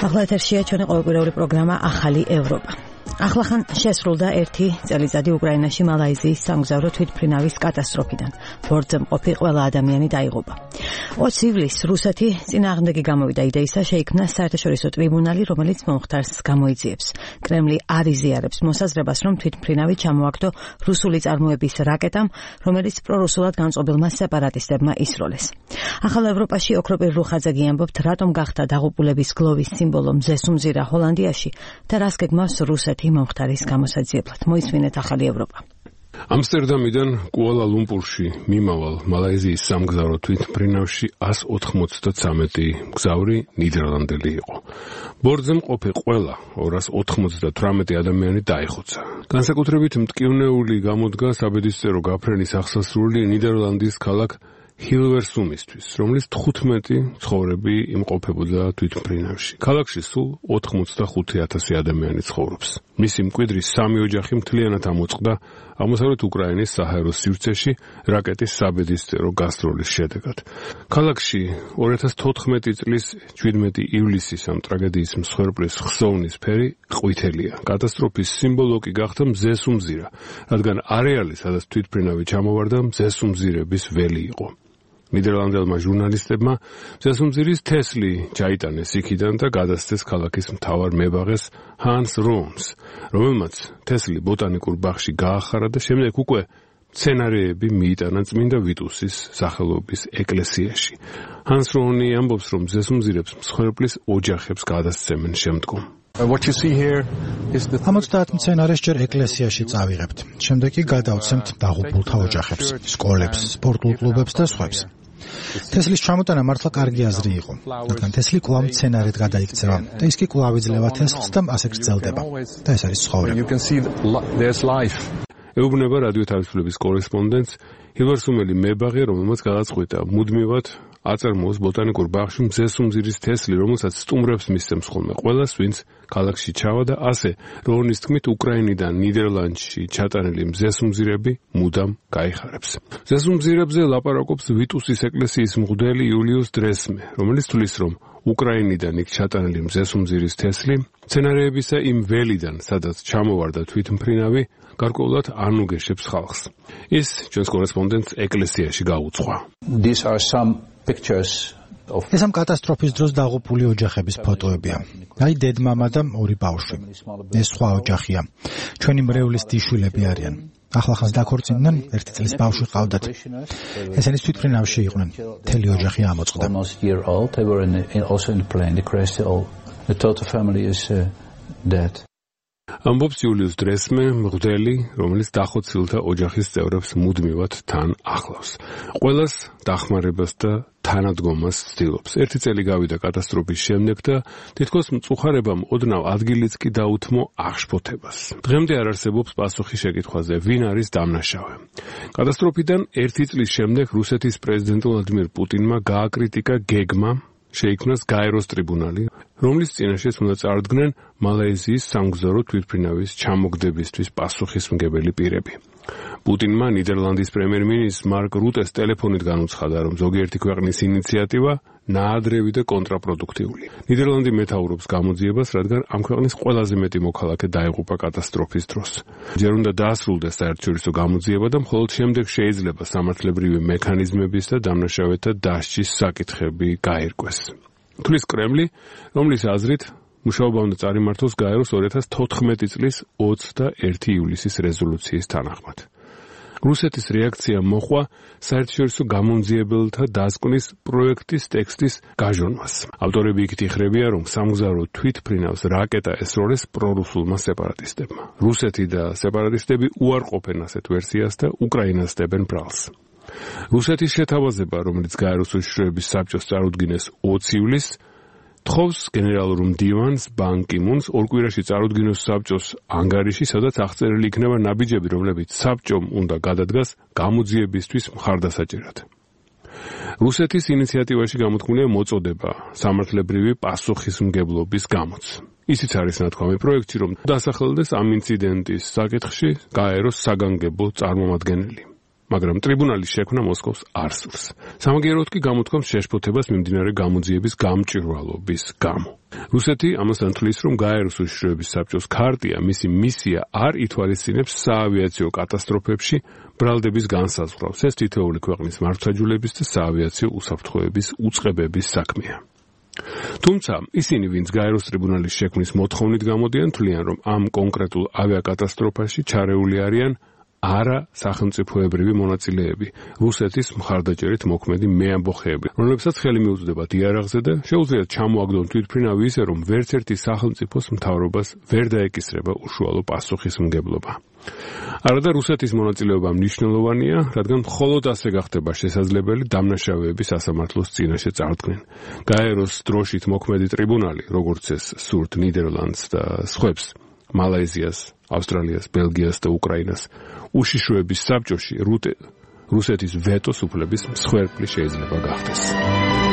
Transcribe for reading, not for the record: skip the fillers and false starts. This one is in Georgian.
ახლა ეთერშია ჩვენი ყოველკვირეული პროგრამა ახალი ევროპა. ახლახან შესრულდა ერთი წელიწადი უკრაინაში მალაიზიის სამგზავრო თვითმფრინავის კატასტროფიდან. ბორტზე მყოფი ყველა ადამიანი დაიღუპა. 20 ივლისს რუსეთი წინააღმდეგი გამოვიდა იდეისა, შეიქმნა საერთაშორისო ტრიბუნალი, რომელიც მომხდარს გამოიძიებს. კრემლი არ იზიარებს მოსაზრებას, რომ თვითმფრინავი ჩამოაგდო რუსული წარმოების რაკეტამ, რომელიც პრორუსულად განწყობილმა სეპარატისტებმა ისროლეს. ახალ ევროპაში ოქროპირ რუხაძეგი ამბობთ, რატომ გახდა დაღუპულების გლოვის სიმბოლო მზესუმზირა ჰოლანდიაში და რას გეგმავს რუსეთი მომხდარის გამოსაძიებლად. მოისმინეთ ახალი ევროპა. ამსტერდამიდან კუალა-ლუმპურში მიმავალ მალაიზიის სამგზავრო თვითმფრინავში 193 მგზავრი ნიდერლანდელი იყო. ბორტზე მყოფი ყველა 298 ადამიანი დაიხოცა. განსაკუთრებით მტკივნეული გამოდგა საბედისწერო გაფრენის აღსასრული ნიდერლანდის ქალაქ ჰილვერსუმისთვის, რომლის 15 ცხოვრები იმყოფებოდა თვითმფრინავში. ქალაქში სულ 85,000 ადამიანი ცხოვრობს. მისი მკვიდრი 3 ოჯახი მთლიანად ამოწყდა აღმოსავლეთ უკრაინის საჰაერო სივრცეში რაკეტის საბედისწერო გასროლის შედეგად. ქალაქში 2014 წლის 17 ივლისის ამ ტრაგედიის მსხვერპლის ხსოვნის ფერი ყვითელია. კატასტროფის სიმბოლო კი გახდა მზესუმზირა, რადგან არეალი, სადაც თვითმფრინავი ჩამოვარდა, მზესუმზირების ველი იყო. ნიდერლანდელმა ჟურნალისტებმა მზესუმზირის თესლი ჩაიტანეს იქიდან და გადასცეს ქალაქის მთავარ მებაღეს ჰანს როუნს, რომელმაც თესლი ბოტანიკურ ბაღში გაახარა და შემდეგ უკვე მცენარეები მიიტანა წმინდა ვიტუსის სახელობის ეკლესიაში. ჰანს როუნი ამბობს, რომ მზესუმზირებს მსხვერპლის ოჯახებს გადასცემენ შემდგომ. ამოცდაათ მცენარეს ჯერ ეკლესიაში წავიღებთ. შემდეგ კი გადავცემთ დაღუპულთა ოჯახებს, სკოლებს, სპორტულ კლუბებს და სხვებს. თესლის ჩამოტანა მართლა კარგი აზრი იყო, რადგან თესლი კვლავ მცენარედ გადაიქცევა და ის კი კვლავ იძლევა თესლს და ასე გრძელდება. და ეს არის ცხოვრება. ეუბნება რადიო თავისუფლების კორესპონდენტს ჰილვერსუმელი მებაღე, რომელმაც გადაწყვიტა მუდმივად აწარმოოს ბოტანიკურ ბაღში მზესუმზირის თესლი, რომელსაც სტუმრებს მისცემს ხოლმე ყველას, ვინც ქალაქში ჩავა და ასე როუნის თქმით უკრაინიდან ნიდერლანდში ჩატანილი მზესუმზირები მუდამ გაიხარებს. მზესუმზირებზე ლაპარაკობს ვიტუსის ეკლესიის მღვდელი იულიუს დრესმე, რომელიც თვლის, რომ უკრაინიდან იქ ჩატანილი მზესუმზირის თესლი მცენარეებისა იმ ველიდან, სადაც ჩამოვარდა თვითმფრინავი, გარკვეულად ანუგეშებს ხალხს. ის ჩვენს კორესპონდენტს ეკლესიაში გაუძღვა. ეს ამ კატასტროფის დროს დაღუპული ოჯახების ფოტოებია. აი დედმამა და 2 ბავშვი. ეს სხვა ოჯახია. ჩვენი მრევლის დიშვილები არიან. ახლახანს დაქორწინდნენ, 1 წლის ბავშვი ყავდათ. ესენი თვითმფრინავში იყვნენ. მთელი ოჯახი ამოწყდა. ამბობს იულიუს დრესმე, მღვდელი, რომელიც დახოცილთა ოჯახის წევრებს მუდმივად თან ახლავს. ყველას დახმარებას და თანადგომას ცდილობს. 1 წელი გავიდა კატასტროფის შემდეგ და თითქოს მწუხარებამ ოდნავ ადგილიც კი დაუთმო აღშფოთებას. დღემდე არ არსებობს პასუხი შეკითხვაზე, ვინ არის დამნაშავე. კატასტროფიდან 1 წლის შემდეგ რუსეთის პრეზიდენტ ვლადიმირ პუტინმა გააკრიტიკა გეგმა შეიქმნას გაეროს ტრიბუნალი, რომლის წინაშეც უნდა წარდგნენ მალაიზიის სამგზავრო თვითმფრინავის ჩამოგდებისთვის პასუხისმგებელი პირები. პუტინმა ნიდერლანდის პრემიერ-მინისტრ მარკ რუტეს ტელეფონით განუცხადა, რომ ზოგიერთი ქვეყნის ინიციატივა ნაადრევი და კონტრაპროდუქტიული. ნიდერლანდი მეთაურობს გამოძიებას, რადგან ამ ქვეყნის ყველაზე მეტი მოქალაქე დაიღუპა კატასტროფის დროს. ჯერ უნდა დაასრულდეს საერთაშორისო გამოძიება და მხოლოდ შემდეგ შეიძლება სამართლებრივი მექანიზმების და დამნაშავეთა დასჯის საკითხები გაირკვეს. თulis კრემლი, რომლის აზრით მუშაობა უნდა წარიმართოს გაეროს 2014 წლის 21 ივლისის რეზოლუციის თანახმად. რუსეთის რეაქცია მოჰყვა საერთაშორისო გამომძიებელთა დასკვნის პროექტის ტექსტის გაჟონვას. ავტორები იქით იხრებიან, რომ სამგზავრო თვითმფრინავს რაკეტა ესროლეს პრორუსულმა სეპარატისტებმა. რუსეთი და სეპარატისტები უარყოფენ ასეთ ვერსიას და უკრაინას დებენ ბრალს. რუსეთის შეთავაზება, რომელიც გაეროს უშიშროების საბჭოს წარუდგინეს 20 ივლისს, თხოვს გენერალურ მდივანს ბან კი მუნს 2 კვირაში წარუდგინოს საბჭოს ანგარიში, სადაც აღწერილი იქნება ნაბიჯები, რომლებიც საბჭომ უნდა გადადგას გამოძიებისთვის მხარდასაჭერად. რუსეთის ინიციატივაში გამოთქმულია მოწოდება სამართლებრივი პასუხისმგებლობის გამოც. ისიც არის ნათქვამი პროექტში, რომ დასახელდეს ამ ინციდენტის საკითხში გაეროს საგანგებო წარმომადგენელი. მაგრამ ტრიბუნალის შექმნა მოსკოვს არ სურს. სამაგიეროდ კი გამოთქვამს შეშფოთებას მიმდინარე გამოძიების გამჭვირვალობის გამო. რუსეთი ამასთან თვლის, რომ გაეროს უშიშროების საბჭოს ქარტია მისი მისია არ ითვალისწინებს საავიაციო კატასტროფებში ბრალდების განსაზღვრავს. ეს თითოეული ქვეყნის მართლმსაჯულების და საავიაციო უსაფრთხოების უწყებების საქმეა. თუმცა ისინი, ვინც გაეროს ტრიბუნალის შექმნის მოთხოვნით გამოდიან, თვლიან, რომ ამ კონკრეტულ ავიაკატასტროფაში ჩარეული არიან არა სახელმწიფოებრივი მონაწილეები, რუსეთის მხარდაჭერით მოქმედი მეამბოხეები, რომლებსაც ხელი მიუწვდებათ იარაღზე და შეუძლიათ ჩამოაგდონ თვითმფრინავი ისე, რომ ვერც ერთი სახელმწიფოს მთავრობას ვერ დაეკისრება უშუალო პასუხისმგებლობა. არადა რუსეთის მონაწილეობა მნიშვნელოვანია, რადგან მხოლოდ ასე გახდება შესაძლებელი დამნაშავეების სასამართლოს წინაშე წარდგნენ. გაეროს დროშით მოქმედი ტრიბუნალი, როგორც ეს სურთ ნიდერლანდს და სხვებს, მალაიზიას, ავსტრალიას, ბელგიას და უკრაინას, უშიშროების საბჭოში რუსეთის ვეტოს უფლების მსხვერპლი შეიძლება გახდეს.